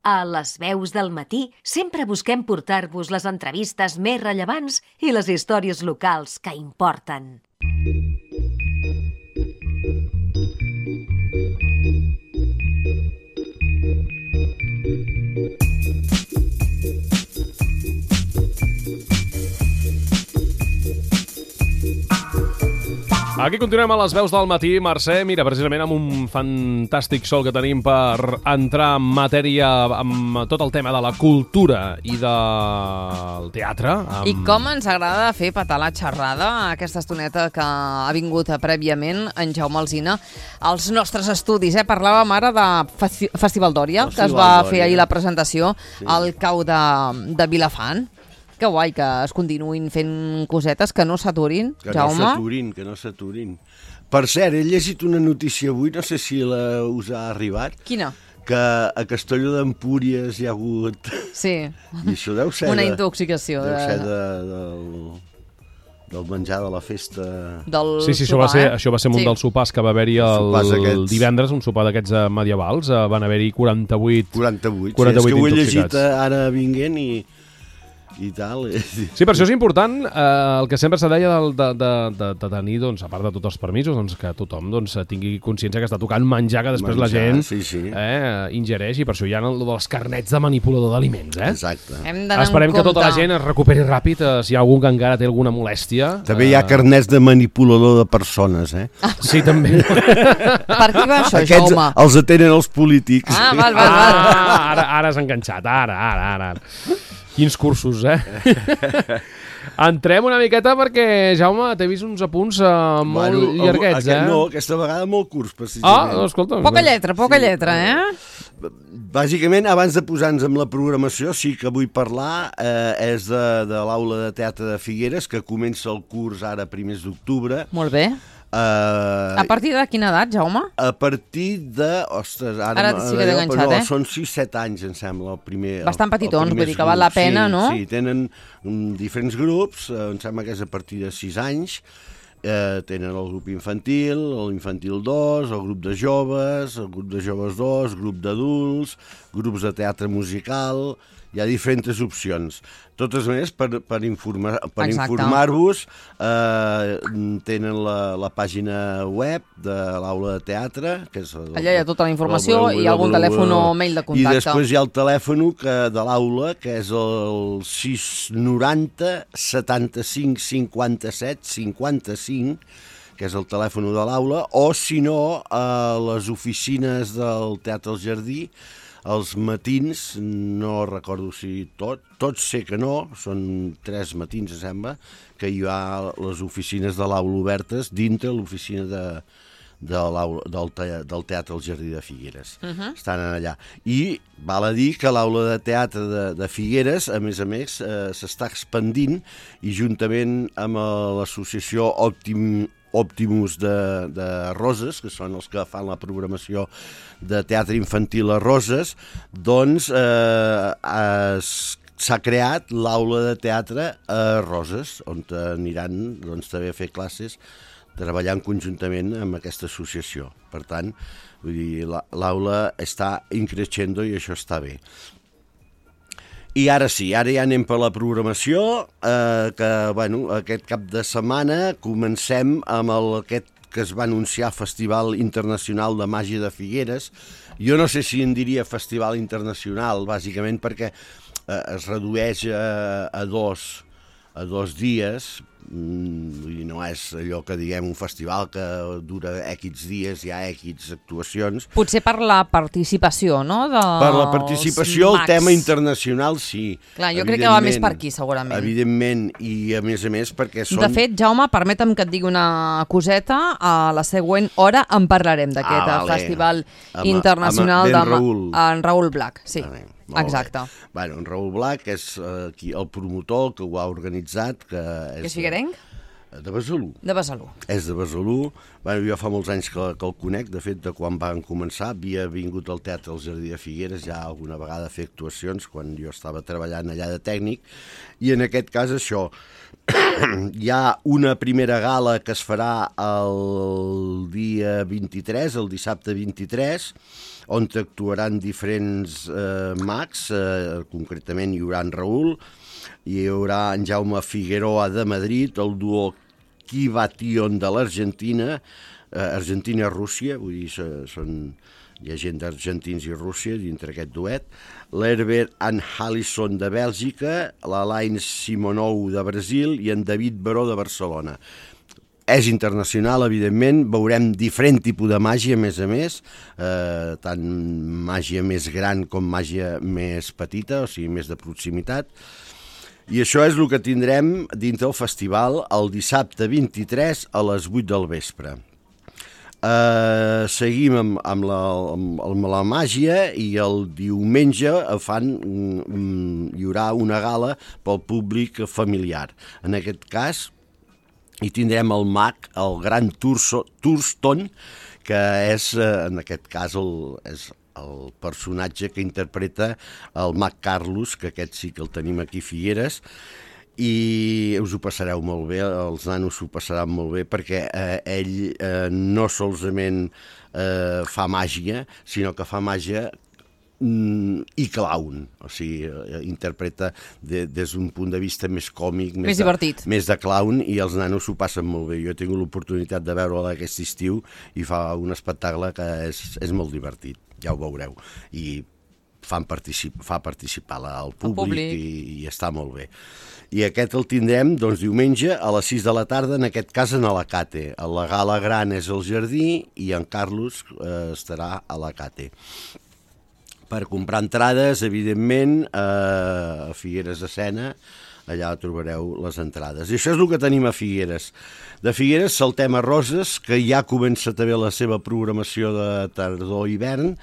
A les veus del matí sempre busquem portar-vos les entrevistes més rellevants i les històries locals que importen. Aquí continuem a les veus del matí, Mercè. Mira, precisament amb un fantàstic sol que tenim per entrar en matèria amb tot el tema de la cultura i del teatre. I com ens agrada fer petar la xerrada, aquesta estoneta que ha vingut prèviament en Jaume Alsina als nostres estudis. Parlàvem ara de Festival Dòria, que es va fer ahir la presentació al cau de Vilafant. Que guai que es continuïn fent cosetes, que no s'aturin, Jaume. Que no s'aturin. Per cert, he llegit una notícia avui, no sé si us ha arribat. Quina? Que a Castelló d'Empúries hi ha hagut... Sí. I això deu ser... Una intoxicació. Deu ser del menjar de la festa... Sí, això va ser un dels sopars que va haver-hi el divendres, un sopar d'aquests medievals. Van haver-hi 48 sí, és que ho he llegit ara vinguent i tal. Sí, per això és important el que sempre se deia de tenir, doncs, a part de tots els permisos, doncs, que tothom tingui consciència que està tocant menjar que després la gent ingereix, i per això hi ha els carnets de manipulador d'aliments. Exacte. Esperem que tota la gent es recuperi ràpid, si hi ha algú que encara té alguna molèstia. També hi ha carnets de manipulador de persones, Sí, també. Per qui va això, Jaume? Aquests els atenen els polítics. Val. Ara has enganxat, ara. Quins cursos, Entrem una miqueta perquè, Jaume, t'he vist uns apunts molt llarguets, No, aquesta vegada molt curts, precisament. Escolta. Poca lletra, Bàsicament, abans de posar-nos amb la programació, sí que vull parlar, és de l'Aula de Teatre de Figueres, que comença el curs ara primers d'octubre. Molt bé. A partir de quina edat, Jaume? A partir de... Ostres, ara sí que t'he enganxat, Són 6-7 anys, em sembla, el primer... Bastant petitons, vull dir que val la pena, no? Sí, tenen diferents grups, em sembla que és a partir de 6 anys. Tenen el grup infantil, l'infantil 2, el grup de joves, el grup de joves 2, grup d'adults, grups de teatre musical... Hi ha diferents opcions. Totes maneres, per informar-vos, tenen la pàgina web de l'Aula de Teatre, que és... Allà hi ha tota la informació i algun telèfon o mail de contacte. I després hi ha el telèfon de l'Aula, que és el 690 75 57 55, que és el telèfon de l'Aula, o si no, a les oficines del Teatre al Jardí, els matins, no recordo si tots sé que no, són 3 matins, sembla, que hi ha les oficines de l'Aula obertes dintre l'oficina del Teatre al Jardí de Figueres. Estan allà. I val a dir que l'Aula de Teatre de Figueres, a més, s'està expandint, i juntament amb l'associació Optimus de Roses, que són els que fan la programació de teatre infantil a Roses, doncs s'ha creat l'Aula de Teatre a Roses, on aniran també a fer classes, treballant conjuntament amb aquesta associació. Per tant, vull dir, l'aula està increixendo i això està bé. I ara sí, ara ja anem per la programació, que aquest cap de setmana comencem amb aquest que es va anunciar Festival Internacional de Màgia de Figueres. Jo no sé si en diria Festival Internacional, bàsicament perquè es redueix a dos dies. No és allò que diguem un festival que dura X dies, hi ha X actuacions. Potser per la participació, no? Per la participació, el tema internacional, sí. Clar, jo crec que va més per aquí, segurament. Evidentment, i a més perquè són... De fet, Jaume, permetem que et digui una coseta, a la següent hora en parlarem d'aquest festival internacional en Raül Blac, sí. Exacte. En Raül Blac és el promotor que ho ha organitzat. Que és figuerenc? De Besalú. De Besalú. És de Besalú. Jo fa molts anys que el conec, de fet, de quan van començar. Havia vingut al Teatre al Jardí de Figueres ja alguna vegada a fer actuacions, quan jo estava treballant allà de tècnic, i en aquest cas això. Hi ha una primera gala que es farà el dia 23, el dissabte 23, on actuaran diferents mags, concretament hi haurà en Raül, hi haurà en Jaume Figueroa de Madrid, el duo Kivation de l'Argentina, Argentina-Rússia, vull dir, hi ha gent d'argentins i Rússia dintre aquest duet, l'Herbert and Allison de Bèlgica, l'Alain Simonou de Brasil i en David Baró de Barcelona. És internacional, evidentment, veurem diferent tipus de màgia, a més, tant màgia més gran com màgia més petita, o sigui, més de proximitat. I això és el que tindrem dintre el festival el dissabte 23 a les 8 del vespre. Seguim amb la màgia i el diumenge hi haurà una gala pel públic familiar. En aquest cas hi tindrem el mag, el gran Thurston, que és en aquest cas és el personatge que interpreta el mag Carlos, que aquest sí que el tenim aquí a Figueres, i us ho passareu molt bé, els nanos s'ho passaran molt bé, perquè ell no solament fa màgia, sinó que fa màgia i clown, o sigui, interpreta des d'un punt de vista més còmic, més divertit, més de clown, i els nanos s'ho passen molt bé. Jo he tingut l'oportunitat de veure-la aquest estiu i fa un espectacle que és molt divertit, ja ho veureu, i fa participar al públic i està molt bé. I aquest el tindrem diumenge a les 6 de la tarda, en aquest cas en Alacate. La gala gran és al Jardí i en Carlos estarà a Alacate. Per comprar entrades, evidentment, a Figueres de Sena, allà trobareu les entrades. I això és el que tenim a Figueres. De Figueres saltem a Roses, que ja comença també la seva programació de tardor-hivern,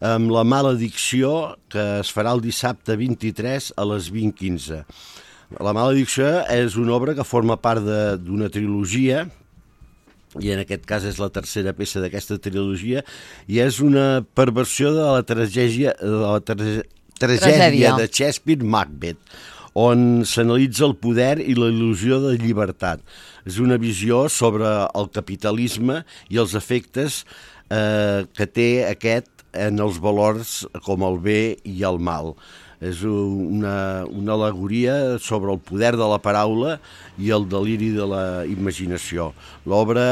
amb La maledicció, que es farà el dissabte 23 a les 20:15. La maledicció és una obra que forma part d'una trilogia, i en aquest cas és la tercera peça d'aquesta trilogia, i és una perversió de la tragèdia de Shakespeare, Macbeth, on s'analitza el poder i la il·lusió de llibertat. És una visió sobre el capitalisme i els efectes que té aquest en els valors com el bé i el mal. És una al·legoria sobre el poder de la paraula i el deliri de la imaginació. L'obra,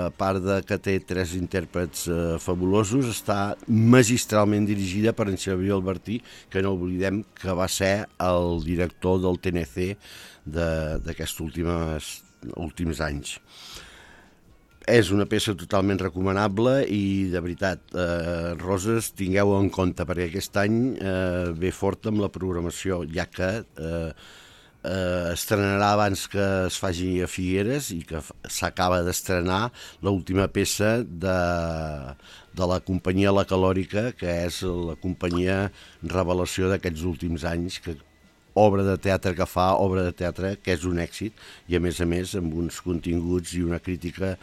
a part que té 3 intèrprets fabulosos, està magistralment dirigida per en Xavier Albertí, que no oblidem que va ser el director del TNC d'aquests últims anys. És una peça totalment recomanable i, de veritat, Roses, tingueu en compte, perquè aquest any ve fort amb la programació, ja que estrenarà abans que es faci a Figueres i que s'acaba d'estrenar l'última peça de la companyia La Calòrica, que és la companyia revelació d'aquests últims anys, que obra de teatre que fa, obra de teatre que és un èxit, i a més amb uns continguts i una crítica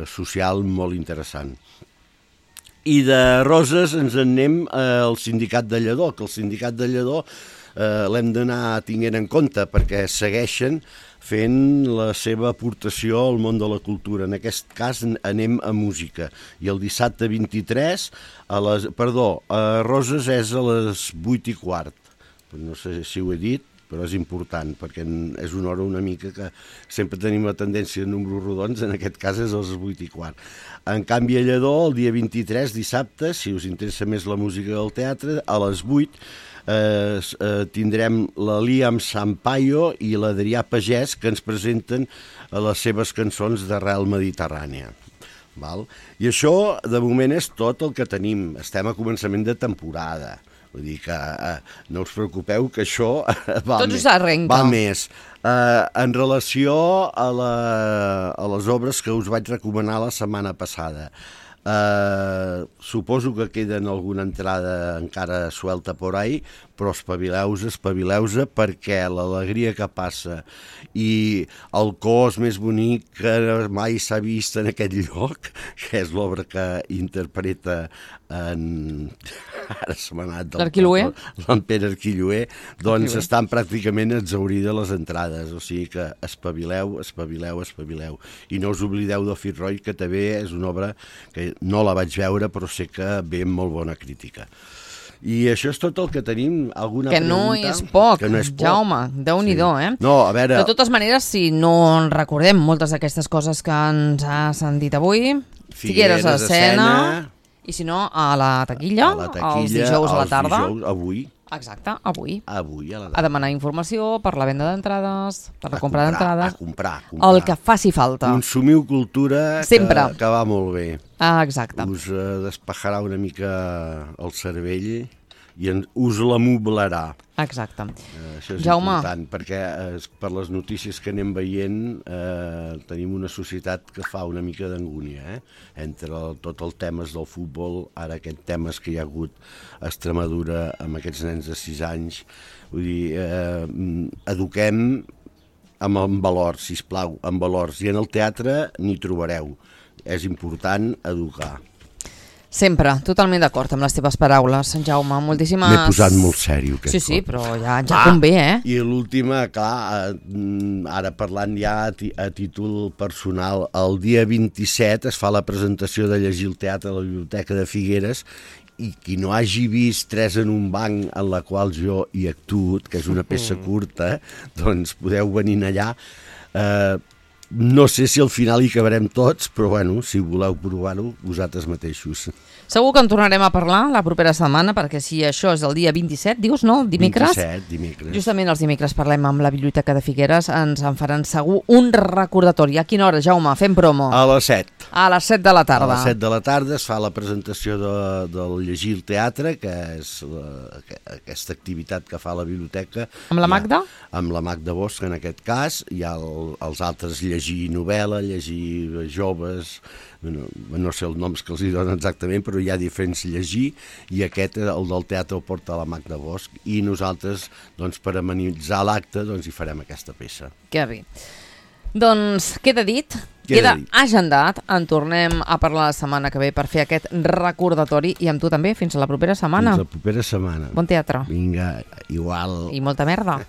social molt interessant. I de Roses ens en anem al Sindicat de Lledó, que el Sindicat de Lledó l'hem d'anar tinguent en compte perquè segueixen fent la seva aportació al món de la cultura. En aquest cas anem a música. I el dissabte 23, a Roses és a les 8:15. No sé si ho he dit, però és important, perquè és una hora una mica que sempre tenim la tendència de números rodons, en aquest cas és a les 8:15. En canvi, a Lledó, el dia 23, dissabte, si us interessa més la música del teatre, a les 8 tindrem la Liam Sampaio i l'Adrià Pagès, que ens presenten les seves cançons d'arrel mediterrània. I això, de moment, és tot el que tenim. Estem a començament de temporada. Vull dir que no us preocupeu, que això va més. En relació a les obres que us vaig recomanar la setmana passada, suposo que queden alguna entrada encara suelta por ahí, però espavileu-se, perquè l'alegria que passa i el cos més bonic que mai s'ha vist en aquest lloc, que és l'obra que interpreta ara se m'ha anat l'Arquiloer, l'en Pere Arquiloer, doncs estan pràcticament exhaurides les entrades, o sigui que espavileu, i no us oblideu del Fitzroy, que també és una obra que no la vaig veure però sé que ve amb molt bona crítica. I això és tot el que tenim. Alguna que pregunta? No és poc, que no és poc. Jaume, Déu-n'hi-do, No, a veure... De totes maneres, si no en recordem moltes d'aquestes coses que ens has dit avui, Figueres a escena, i si no, a la taquilla, els dijous a la tarda. Avui. Exacte, avui. Avui a la tarda. A demanar informació per la venda d'entrades, per la compra d'entrades. A comprar. El que faci falta. Consumiu cultura sempre. Que va molt bé. Exacte. Us despejarà una mica el cervell i us l'amoblarà. Exacte. Això és Jaume. important, perquè per les notícies que anem veient tenim una societat que fa una mica d'angúnia, entre tot el temes del futbol, ara aquest temes que hi ha hagut a Extremadura amb aquests nens de 6 anys, vull dir, eduquem amb valors, sisplau, amb valors, i en el teatre n'hi trobareu. És important educar. Sempre, totalment d'acord amb les teves paraules, Jaume. Moltíssimes... M'he posat molt sèrio. Sí, però ja convé, I l'última, clar, ara parlant ja a títol personal, el dia 27 es fa la presentació de Llegir el teatre a la Biblioteca de Figueres, i qui no hagi vist Tres en un banc, en la qual jo hi actuo, que és una peça curta, doncs podeu venir allà. No sé si al final hi cabrem tots, però bueno, si voleu provar-ho, vosaltres mateixos. Segur que en tornarem a parlar la propera setmana, perquè si això és el dia 27, dius, no? Dimecres? 27, dimecres. Justament els dimecres parlem amb la Biblioteca de Figueres, ens en faran segur un recordatori. A quina hora, Jaume? Fem promo. A les 7. A les 7 de la tarda. A les 7 de la tarda es fa la presentació del Llegir el teatre, que és aquesta activitat que fa la biblioteca. Amb la Magda? Amb la Magda Bosch, en aquest cas. Hi ha els altres llegir novel·la, llegir joves, no sé els noms que els hi donen exactament, però hi ha diferents llegir, i aquest, el del teatre, el porta la Magda Bosch, i nosaltres, doncs, per amenitzar l'acte, doncs, hi farem aquesta peça. Que bé. Doncs queda dit, queda agendat, en tornem a parlar la setmana que ve per fer aquest recordatori, i amb tu també, fins a la propera setmana. Fins la propera setmana. Bon teatre. Vinga, igual. I molta merda.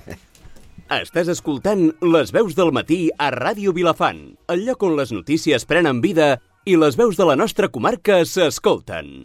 Estàs escoltant Les veus del matí a Ràdio Vilafant, el lloc on les notícies prenen vida i les veus de la nostra comarca s'escolten.